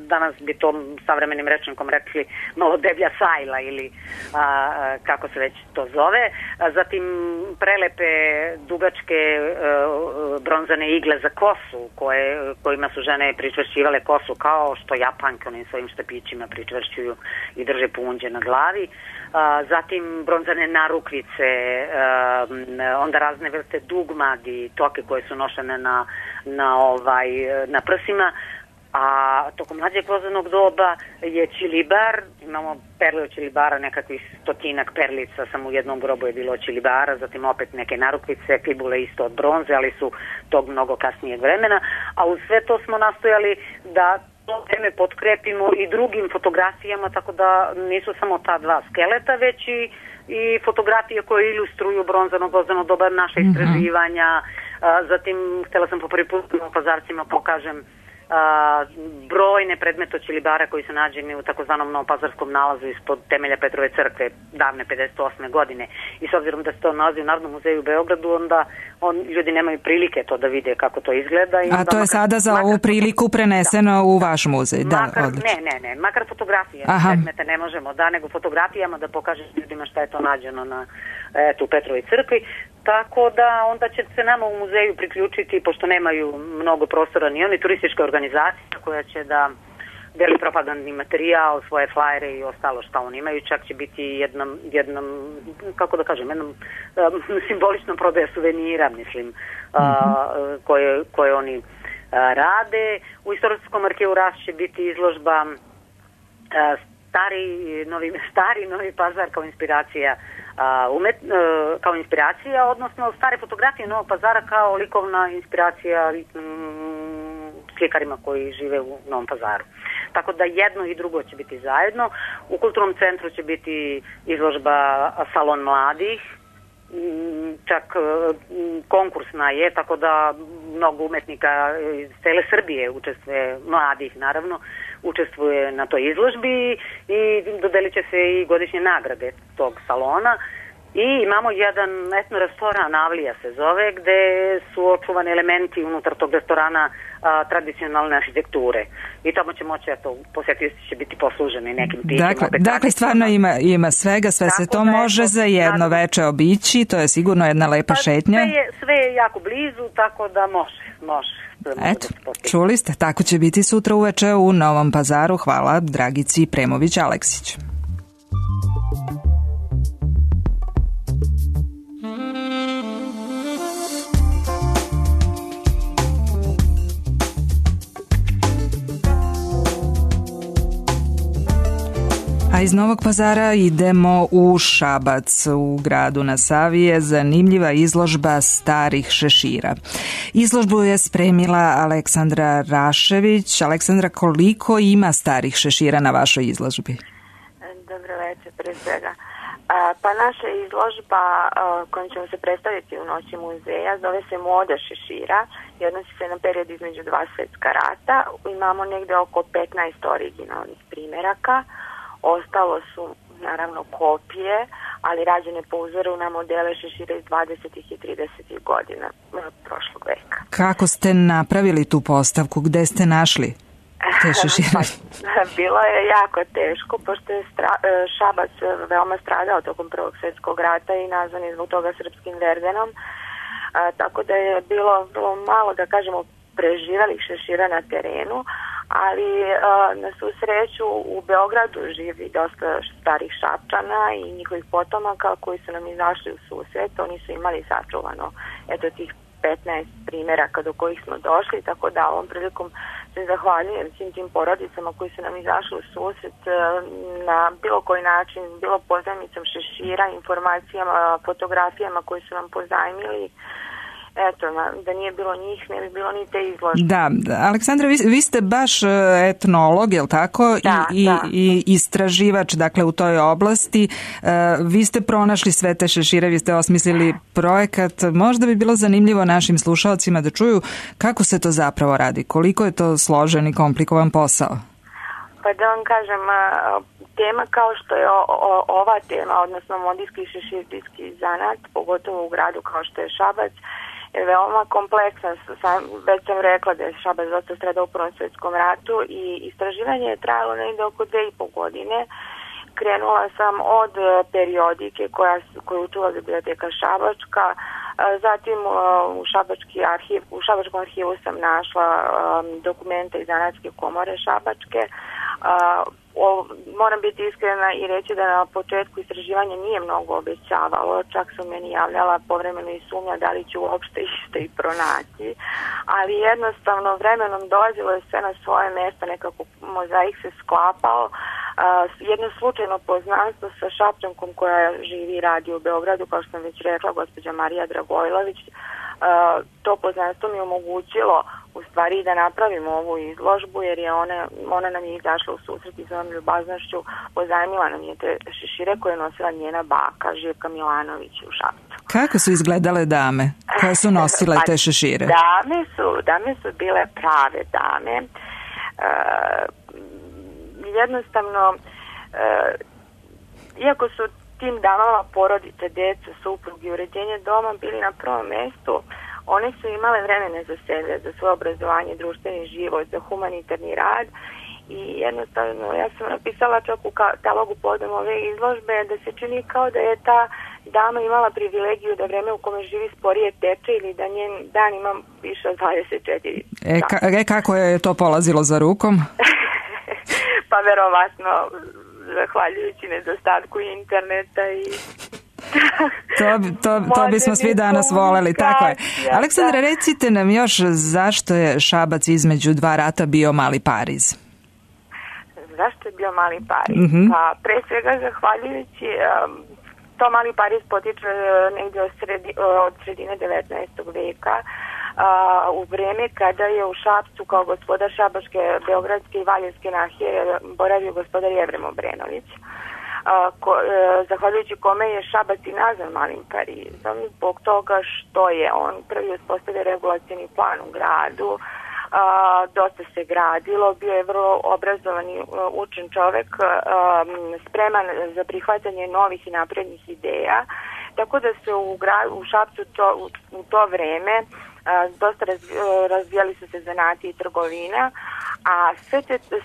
[SPEAKER 9] danas bi to savremenim rečnikom rekli malo deblja sajla ili kako se već to zove. Zatim prelepe dugačke bronzane igle za kosu kojima su žene pričvršćivale kosu, kao što Japanke onim svojim štapićima pričvršćuju i drže punđe na glavi. Zatim bronzane narukvice, onda razne vrste dugmadi, toke koje su nošene na prsima. A tokom mlađeg vozanog doba je čilibar, imamo perle od čilibara, nekakvih 100 perlica, samo u jednom grobu je bilo od čilibara, zatim opet neke narukvice, fibule isto od bronze, ali su tog mnogo kasnijeg vremena, a uz sve to smo nastojali da to vreme potkrepimo i drugim fotografijama, tako da nisu samo ta dva skeleta, već i fotografije koje ilustruju bronzanog vozano doba, naše istraživanja. Zatim htjela sam po prvi put u Pazarcima pokažem brojne predmete od čilibara koji su nađeni u takozvanom novopazarskom nalazu ispod temelja Petrove crkve davne 58. godine. I s obzirom da se to nalazi u Narodnom muzeju u Beogradu, onda ljudi nemaju prilike to da vide kako to izgleda.
[SPEAKER 1] A to je sada za ovu priliku preneseno u vaš muzej?
[SPEAKER 9] Ne, makar fotografije predmete ne možemo nego fotografijama da pokažem ljudima šta je to nađeno u Petrovoj crkvi. Tako da onda će se nama u muzeju priključiti, pošto nemaju mnogo prostora ni oni, turistička organizacija koja će da deli propagandni materijal, svoje flajere i ostalo šta oni imaju. Čak će biti jednom kako da kažem, jednom simboličnom prodaja suvenira, mislim, koje oni rade. U Istorijskom arhivu Ras će biti izložba stari Novi Pazar kao inspiracija kao inspiracija, odnosno stare fotografije Novog Pazara kao likovna inspiracija slikarima koji žive u Novom Pazaru. Tako da jedno i drugo će biti zajedno. U kulturnom centru će biti izložba Salon mladih, čak konkursna je, tako da mnogo umetnika iz cele Srbije učestvuje, mladih naravno, učestvuje na toj izložbi i dodelit će se i godišnje nagrade tog salona. I imamo jedan etno restoran, Avlija se zove, gde su očuvani elementi unutar tog restorana tradicionalne arhitekture. I tamo će moći, posjetioci će biti posluženi nekim pićima.
[SPEAKER 1] Dakle, stvarno ima svega, sve se to može za jedno veče obići, to je sigurno jedna lepa šetnja.
[SPEAKER 9] Sve je jako blizu, tako da može.
[SPEAKER 1] Eto, čuli ste, tako će biti sutra uveče u Novom Pazaru. Hvala Dragici Premović-Aleksić. A iz Novog Pazara idemo u Šabac. U gradu na Savi je zanimljiva izložba starih šešira. Izložbu je spremila Aleksandra Rašević. Aleksandra, koliko ima starih šešira na vašoj izložbi?
[SPEAKER 12] Dobro večer, pre svega. Pa naša izložba kojom ćemo se predstaviti u Noći muzeja zove se Moda šešira i odnosi se na period između dva svetska rata. Imamo negde oko 15 originalnih primeraka. Ostalo su naravno kopije, ali rađene po uzoru na modele šešira iz 20. i 30. godina prošlog veka.
[SPEAKER 1] Kako ste napravili tu postavku? Gde ste našli te šešire?
[SPEAKER 12] Bilo je jako teško, pošto je Šabac veoma stradao tokom Prvog svjetskog rata i nazvan je zbog toga srpskim Verdenom. Tako da je bilo malo, da kažemo, preživelih šešira na terenu, ali na svu sreću u Beogradu živi dosta starih Šapčana i njihovih potomaka koji su nam izašli u susret. Oni su imali sačuvano tih 15 primeraka do kojih smo došli, tako da ovom prilikom se zahvaljujem svim tim porodicama koji su nam izašli u susret na bilo koji način, bilo pozajmicom šešira, informacijama, fotografijama koje su nam pozajmili. Eto, da nije bilo njih, ne bi bilo ni te izložbe.
[SPEAKER 1] Da, Aleksandra, vi ste baš etnolog, je li tako? I istraživač, dakle, u toj oblasti. Vi ste pronašli sve te šešire, vi ste osmislili projekat. Možda bi bilo zanimljivo našim slušalcima da čuju kako se to zapravo radi, koliko je to složen i komplikovan posao.
[SPEAKER 12] Pa da vam kažem, tema kao što je ova tema, odnosno modijski i šeširski zanat, pogotovo u gradu kao što je Šabac, je veoma kompleksan. Već sam rekla da je Šabac dosta stradao u Prvom svjetskom ratu i istraživanje je trajalo negdje oko 2,5 godine. Krenula sam od periodike koju čuva biblioteka Šabačka, zatim u Šabačkom arhivu sam našla dokumente iz Zanatske komore Šabačke. Moram biti iskrena i reći da na početku istraživanja nije mnogo obećavalo, čak su meni javljala povremeno i sumnja da li ću uopšte išta i pronaći, ali jednostavno vremenom dolazilo je sve na svoje mjesto, nekako mozaik se sklapao. Jedno slučajno poznanstvo sa Šapčankom koja živi i radi u Beogradu, kao što sam već rekla, gospođa Marija Dragojlović, to poznanstvo mi je omogućilo u stvari da napravimo ovu izložbu, jer je ona nam je izašla u susret i svojom ljubaznošću pozajmila nam je te šešire koje je nosila njena baka Živka Milanović u Šapcu.
[SPEAKER 1] Kako su izgledale dame koje su nosile te šešire?
[SPEAKER 12] Dame su bile prave dame. Jednostavno, iako su tim damama porodice, deca, suprug i uređenje doma bili na prvom mjestu, one su imale vremena za sebe, za svoje obrazovanje, društveni život, za humanitarni rad i jednostavno ja sam napisala čak u katalogu povodom ove izložbe da se čini kao da je ta dama imala privilegiju da vreme u kome živi sporije teče ili da njen dan ima više od 24
[SPEAKER 1] kako je to polazilo za rukom?
[SPEAKER 12] Pa verovatno zahvaljujući nedostatku interneta i
[SPEAKER 1] to bismo svi danas voleli, tako je. Aleksandra, recite nam još zašto je Šabac između dva rata bio mali Pariz?
[SPEAKER 12] Zašto je bio Mali Paris? Pa pre svega zahvaljujući to Mali Paris potiče negdje od sredine 19. veka, u vreme kada je u Šapcu kao gospodar Šabačke, Beogradske i Valjevske nahije boravio gospodar Jevrem Obrenović, zahvaljujući kome je Šabac i nazvan Malim Parizom, zbog toga što je on prvi uspostavio regulacioni plan u gradu. Dosta se gradilo, bio je vrlo obrazovan i učen čovek, spreman za prihvatanje novih i naprednih ideja, tako da se u Šapcu u to vreme dosta razvijali su se zanati i trgovina, a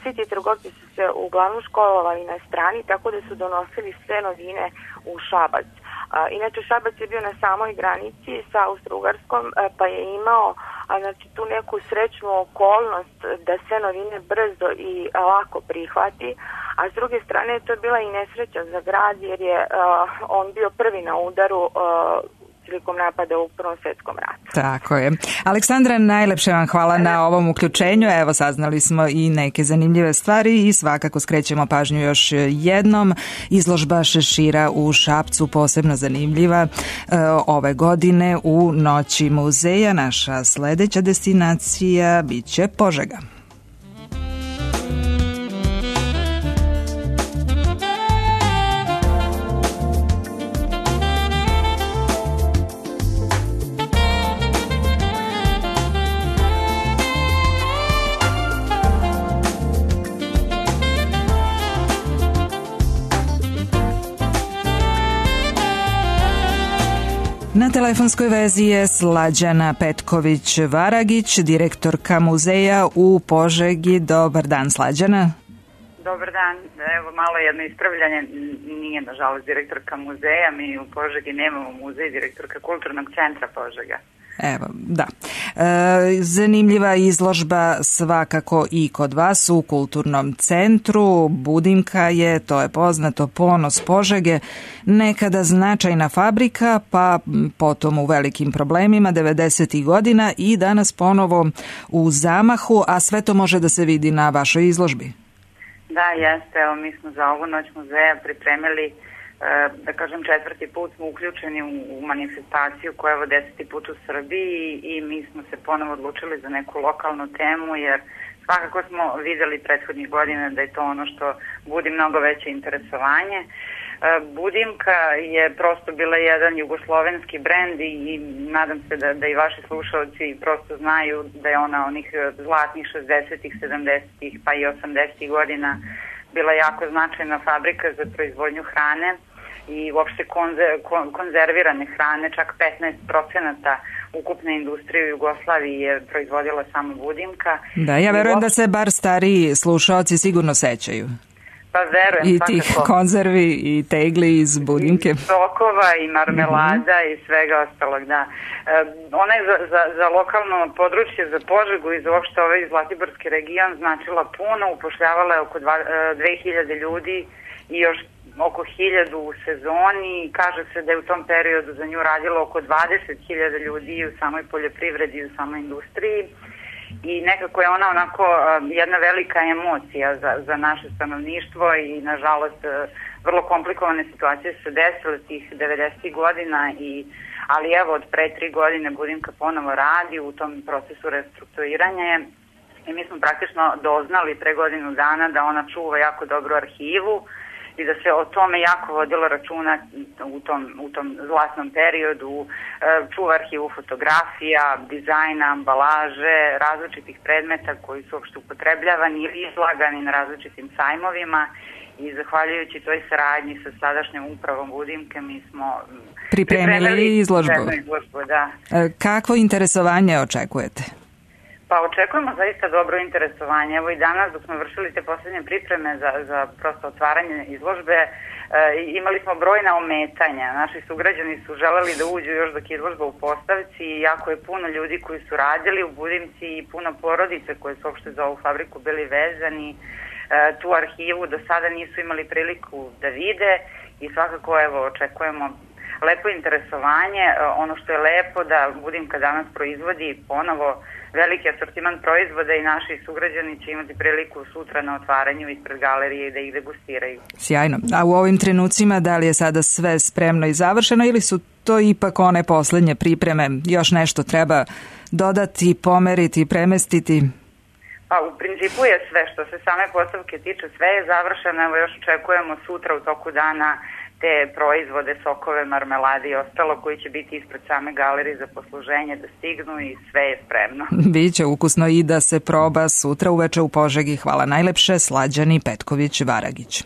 [SPEAKER 12] svi ti trgovci su se uglavnom školovali na strani, tako da su donosili sve novine u Šabac. Inače, Šabac je bio na samoj granici sa Austro-Ugarskom, pa je imao tu neku srećnu okolnost da sve novine brzo i lako prihvati, a s druge strane to je bila i nesreća za grad jer je on bio prvi na udaru prilikom napada u Prvom svjetskom ratu.
[SPEAKER 1] Tako je. Aleksandra, najlepše vam hvala na ovom uključenju. Evo, saznali smo i neke zanimljive stvari i svakako skrećemo pažnju još jednom. Izložba šešira u Šapcu posebno zanimljiva ove godine u Noći muzeja. Naša sledeća destinacija biće Požega. Na telefonskoj vezi je Slađana Petković-Varagić, direktorka muzeja u Požegi. Dobar dan, Slađana.
[SPEAKER 13] Dobar dan. Evo malo jedno ispravljanje. Nije, nažalost, direktorka muzeja. Mi u Požegi nemamo muzej, direktorka Kulturnog centra Požega.
[SPEAKER 1] Evo, da. Zanimljiva izložba svakako i kod vas u Kulturnom centru. Budimka je, to je poznato, ponos Požege, nekada značajna fabrika, pa potom u velikim problemima 90. godina i danas ponovo u zamahu, a sve to može da se vidi na vašoj izložbi.
[SPEAKER 13] Da, jeste. Evo, mi smo za ovu Noć muzeja pripremili, da kažem, 4. put smo uključeni u manifestaciju koja je 10. put u Srbiji i mi smo se ponovo odlučili za neku lokalnu temu jer svakako smo videli prethodnih godina da je to ono što budi mnogo veće interesovanje. Budimka je prosto bila jedan jugoslovenski brend i nadam se da i vaši slušalci prosto znaju da je ona onih zlatnih 60-ih, 70-ih pa i 80-ih godina bila jako značajna fabrika za proizvodnju hrane i uopšte konzervirane hrane, čak 15% ukupne industrije u Jugoslaviji je proizvodila samo Budimka.
[SPEAKER 1] Da, ja verujem da se bar stariji slušalci sigurno sećaju.
[SPEAKER 13] Pa verujem,
[SPEAKER 1] i tih konzervi i tegli iz Budimke.
[SPEAKER 13] I sokova i marmelada i svega ostalog, da. Ona je za lokalno područje, za Požegu i za uopšte ovaj Zlatiborski region značila puno, upošljavala je oko 2000 ljudi i još oko 1000 u sezoni. Kaže se da je u tom periodu za nju radilo oko 20.000 ljudi u samoj poljoprivredi i u samoj industriji. I nekako je ona onako jedna velika emocija za naše stanovništvo i nažalost vrlo komplikovane situacije su se desile tih 90. godina, ali evo od pre 3 godine Budimka ponovo radi u tom procesu restrukturiranja i mi smo praktično doznali pre godinu dana da ona čuva jako dobru arhivu i da se o tome jako vodilo računa u tom zlatnom periodu, čuva arhivu fotografija, dizajna, ambalaže, različitih predmeta koji su uopšte upotrebljavani ili izlagani na različitim sajmovima i zahvaljujući toj saradnji sa sadašnjom upravom Budimke mi smo
[SPEAKER 1] pripremili izložbu.
[SPEAKER 13] Da.
[SPEAKER 1] Kakvo interesovanje očekujete?
[SPEAKER 13] Pa očekujemo zaista dobro interesovanje. Evo i danas dok smo vršili te posljednje pripreme za prosto otvaranje izložbe, imali smo brojna ometanja. Naši sugrađani su želeli da uđu još dok je izložba u postavci i jako je puno ljudi koji su radili u Budimci i puno porodice koje su uopšte za ovu fabriku bili vezani. Tu arhivu do sada nisu imali priliku da vide i svakako evo očekujemo lepo interesovanje. Ono što je lepo da Budimka danas proizvodi ponovo veliki asortiman proizvoda i naši sugrađani će imati priliku sutra na otvaranju ispred galerije da ih degustiraju.
[SPEAKER 1] Sjajno. A u ovim trenucima da li je sada sve spremno i završeno ili su to ipak one poslednje pripreme? Još nešto treba dodati, pomeriti, premestiti?
[SPEAKER 13] Pa u principu je sve što se same postavke tiče, sve je završeno. Evo još očekujemo sutra u toku dana te proizvode, sokove, marmelade i ostalo koji će biti ispred same galerije za posluženje da stignu i sve je spremno.
[SPEAKER 1] Biće ukusno i da se proba sutra uveče u Požegi. Hvala najlepše, Slađani Petković-Varagić.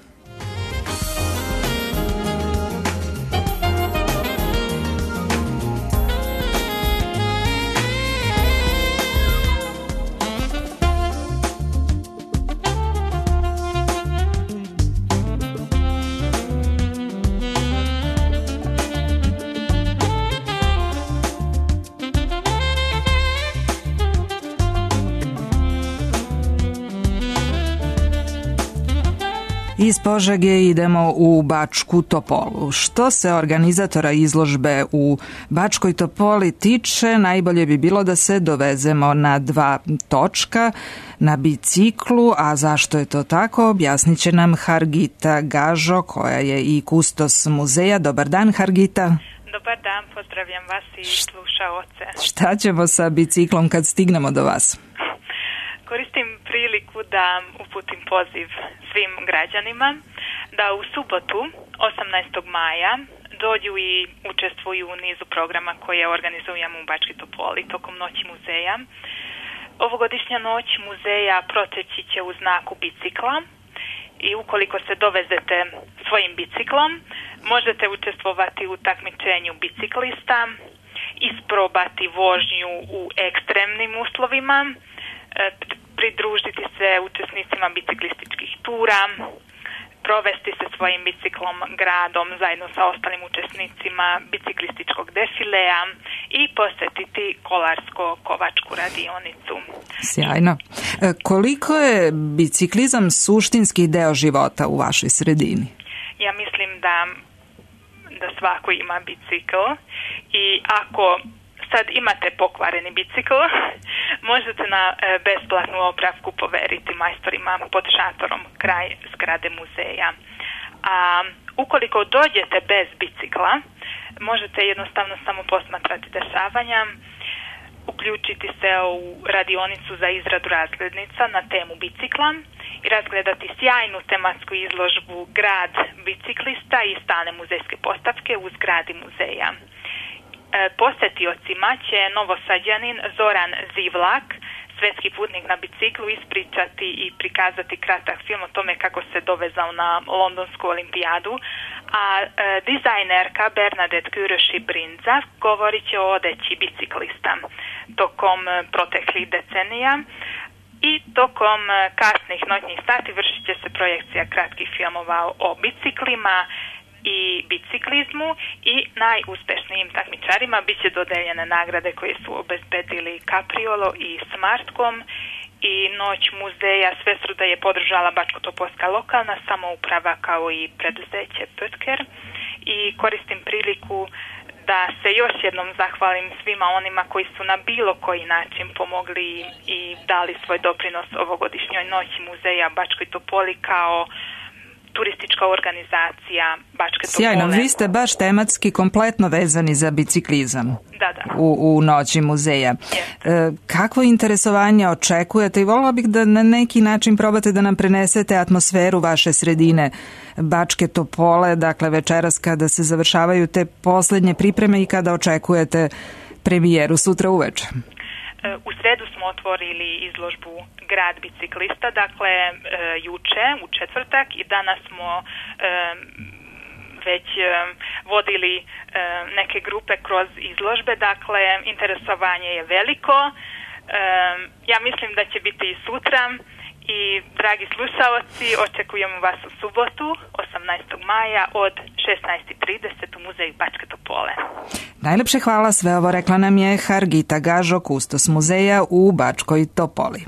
[SPEAKER 1] Iz Požege idemo u Bačku Topolu. Što se organizatora izložbe u Bačkoj Topoli tiče, najbolje bi bilo da se dovezemo na 2 točka na biciklu, a zašto je to tako, objasnit će nam Hargita Gažo, koja je i kustos muzeja. Dobar dan, Hargita.
[SPEAKER 14] Dobar dan, pozdravljam vas i slušaoce.
[SPEAKER 1] Šta ćemo sa biciklom kad stignemo do vas?
[SPEAKER 14] Koristim priliku da uputim poziv svim građanima da u subotu 18. maja dođu i učestvuju u nizu programa koje organizujemo u Bačkoj Topoli tokom Noći muzeja. Ovogodišnja Noć muzeja proteći će u znaku bicikla i ukoliko se dovezete svojim biciklom možete učestvovati u takmičenju biciklista, isprobati vožnju u ekstremnim uslovima, pridružiti se učesnicima biciklističkih tura, provesti se svojim biciklom gradom zajedno sa ostalim učesnicima biciklističkog defilea i posjetiti kolarsko-kovačku radionicu.
[SPEAKER 1] Sjajno. Koliko je biciklizam suštinski deo života u vašoj sredini?
[SPEAKER 14] Ja mislim da svako ima bicikl i ako sad imate pokvareni bicikl, možete na besplatnu opravku poveriti majstorima pod šatorom kraj zgrade muzeja. A ukoliko dođete bez bicikla, možete jednostavno samo posmatrati dešavanja, uključiti se u radionicu za izradu razglednica na temu bicikla i razgledati sjajnu tematsku izložbu Grad biciklista i stalne muzejske postavke u zgradi muzeja. Posetiocima će Novosađanin Zoran Zivlak, svetski putnik na biciklu, ispričati i prikazati kratak film o tome kako se dovezao na Londonsku olimpijadu, a dizajnerka Bernadette Kuroši-Brinza govorit će o odeći biciklista tokom proteklih decenija i tokom kasnih noćnih sati vršit će se projekcija kratkih filmova o biciklima i biciklizmu i najuspešnijim takmičarima bit će dodeljene nagrade koje su obezbedili Capriolo i Smartcom i Noć muzeja Svesruda je podržala Bačko-Topolska lokalna samouprava kao i preduzeće Pötker i koristim priliku da se još jednom zahvalim svima onima koji su na bilo koji način pomogli i dali svoj doprinos ovogodišnjoj Noći muzeja Bačkoj Topoli kao turistička organizacija Bačke Topole.
[SPEAKER 1] Sjajno, vi ste baš tematski kompletno vezani za biciklizam.
[SPEAKER 14] Da.
[SPEAKER 1] U Noći muzeja. Kakvo interesovanje očekujete i volila bih da na neki način probate da nam prenesete atmosferu vaše sredine Bačke Topole, dakle večeras kada se završavaju te poslednje pripreme i kada očekujete premijeru sutra uveče.
[SPEAKER 14] U sredu smo otvorili izložbu Grad biciklista, dakle juče, u četvrtak, i danas smo već vodili neke grupe kroz izložbe, dakle interesovanje je veliko. Ja mislim da će biti i sutra i dragi slušaoci, očekujemo vas u subotu 18. maja od 16:30 u muzeju Bačke Topole.
[SPEAKER 1] Najlepše hvala, sve ovo rekla nam je Hargita Gažo, kustos muzeja u Bačkoj Topoli.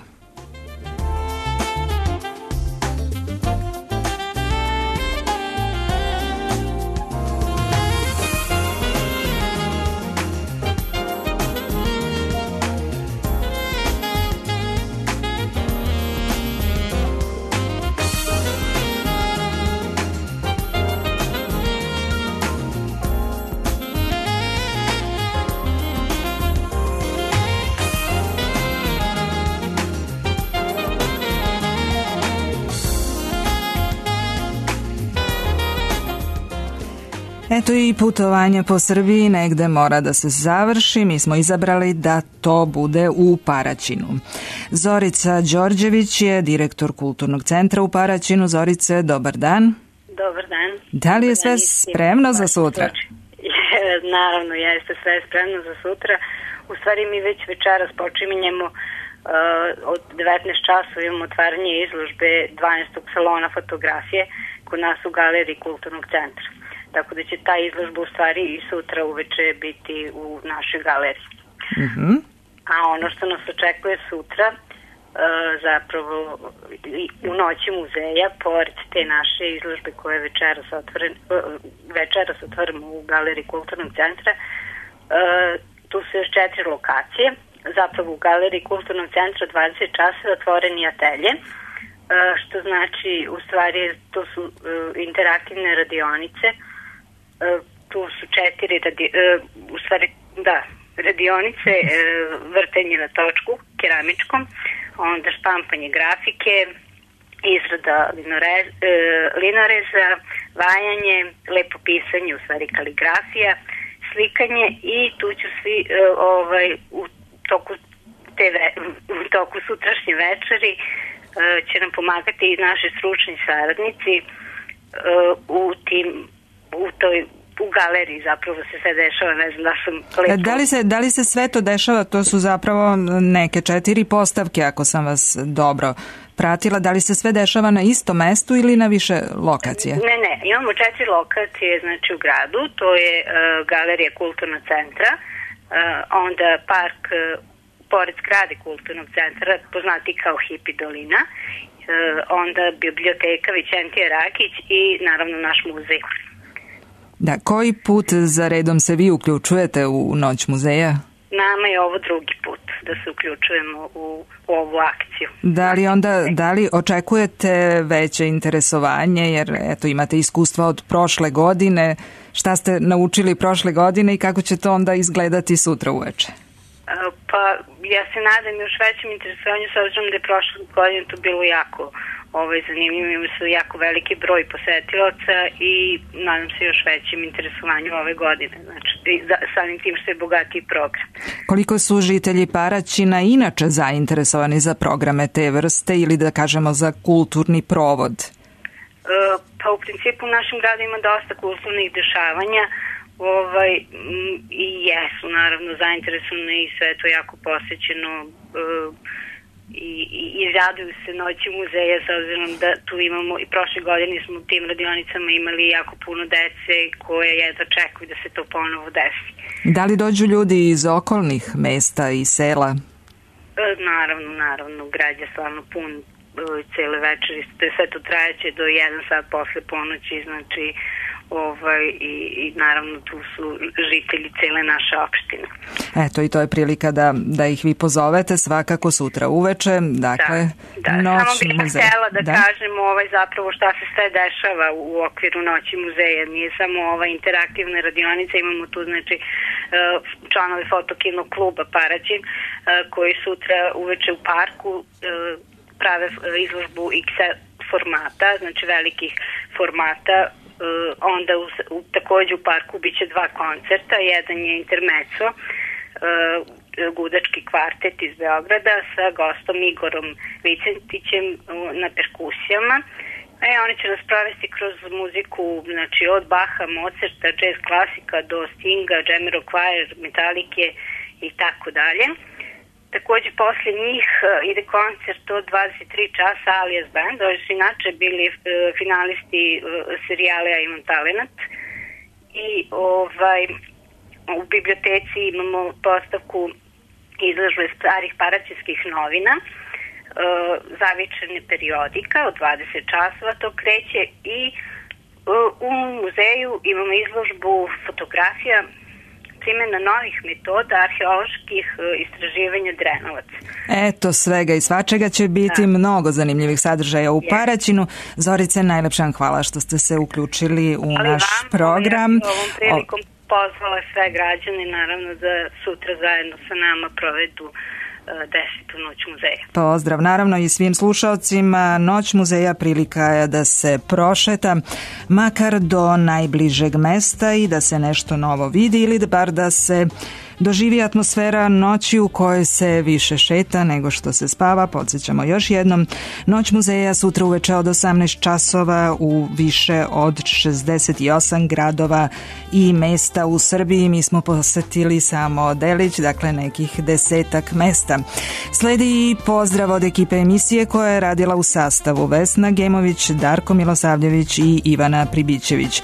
[SPEAKER 1] Eto i putovanje po Srbiji negde mora da se završi. Mi smo izabrali da to bude u Paraćinu. Zorica Đorđević je direktor Kulturnog centra u Paraćinu. Zorice, dobar dan.
[SPEAKER 15] Dobar dan.
[SPEAKER 1] Da li je sve spremno za sutra?
[SPEAKER 15] Naravno, jeste sve spremno za sutra. U stvari mi već večeras počinjemo od 19 časova imamo otvaranje izložbe 12. salona fotografije kod nas u galeriji Kulturnog centra. Tako da će ta izložba u stvari i sutra uveče biti u našoj galeriji. A ono što nas očekuje sutra, zapravo u noći muzeja, pored te naše izložbe koje večeras otvorimo u galeriji Kulturnog centra, tu su još 4 lokacije. Zapravo u galeriji Kulturnog centra 20 časova otvoreni atelje, što znači u stvari to su interaktivne radionice. Tu su 4 radionice, vrtenje na točku keramičkom, onda štampanje grafike, izrada linoreza, vajanje, lepo pisanje, u stvari kaligrafija, slikanje i tu ću svi u toku sutrašnje večeri će nam pomagati i naši stručni saradnici u galeriji zapravo se sve dešava, ne znam da sam lepo...
[SPEAKER 1] Da li se sve to dešava, to su zapravo neke 4 postavke, ako sam vas dobro pratila, da li se sve dešava na istom mestu ili na više lokacije?
[SPEAKER 15] Ne, imamo 4 lokacije, znači u gradu, to je galerija Kulturnog centra, onda park pored zgrade Kulturnog centra, poznati kao Hipi dolina, onda biblioteka Vićentije Rakić i naravno naš muzej.
[SPEAKER 1] Da, koji put za redom se vi uključujete u Noć muzeja?
[SPEAKER 15] Nama je ovo drugi put da se uključujemo u ovu akciju.
[SPEAKER 1] Da li očekujete veće interesovanje, jer eto imate iskustva od prošle godine, šta ste naučili prošle godine i kako će to onda izgledati sutra uveče?
[SPEAKER 15] Pa ja se nadam još većem interesovanju, s obzirom da je prošle godine to bilo jako zanimljivo, imamo su jako veliki broj posetilaca i nadam se još većem interesovanju ove godine, znači samim tim što je bogatiji program. Koliko su žitelji Paraćina inače zainteresovani za programe te vrste ili da kažemo za kulturni provod? Pa u principu u našem gradu ima dosta kulturnih dešavanja, i jesu naravno zainteresovani i sve to jako posećeno i raduju se Noći muzeja, s obzirom da tu imamo i prošle godine smo u tim radionicama imali jako puno dece koje jedva čekuju da se to ponovo desi.
[SPEAKER 1] Da li dođu ljudi iz okolnih mesta i sela?
[SPEAKER 15] Naravno, grad je stvarno pun cele večeri, sve to trajeće do 1 sat posle ponoći, znači i naravno tu su žitelji cele naše opštine. Eto i to je prilika da ih vi pozovete svakako sutra uveče, dakle Noć muzeja. Samo bih htjela da kažem zapravo šta se sve dešava u okviru Noći muzeja, nije samo interaktivna radionica, imamo tu znači članovi fotokinog kluba Paraćin koji sutra uveče u parku prave izložbu X formata, znači velikih formata. Onda također u parku bit će 2 koncerta, jedan je intermezzo, gudački kvartet iz Beograda sa gostom Igorom Vicentićem na perkusijama. Oni će nas provesti kroz muziku, znači od Baha, Mozarta, jazz klasika do Stinga, Jamiroquai, Metalike i tako dalje. Također posle njih ide koncert od 23 časa Alias Band, oni su inače bili finalisti serijala Ja imam talenat i u biblioteci imamo postavku izložbe starih paraćinskih novina, zavičajne periodika od 20 časova to kreće i u muzeju imamo izložbu fotografija primjena novih metoda arheoloških istraživanja Drenovaca.
[SPEAKER 1] Eto, svega i svačega će biti mnogo zanimljivih sadržaja u Paraćinu. Zorice, najlepša vam hvala što ste se uključili u naš program.
[SPEAKER 15] Ja ovom prilikom pozvala sve građane, naravno da sutra zajedno sa nama provedu 10. Noć muzeja.
[SPEAKER 1] Pozdrav naravno i svim slušaocima. Noć muzeja prilika je da se prošeta makar do najbližeg mesta i da se nešto novo vidi ili bar da se doživi atmosfera noći u kojoj se više šeta nego što se spava. Podsjećamo još jednom, Noć muzeja sutra uveče od 18 časova u više od 68 gradova i mesta u Srbiji. Mi smo posetili samo delić, dakle nekih 10 mesta. Sledi i pozdrav od ekipe emisije koja je radila u sastavu Vesna Gemović, Darko Milosavljević i Ivana Pribićević.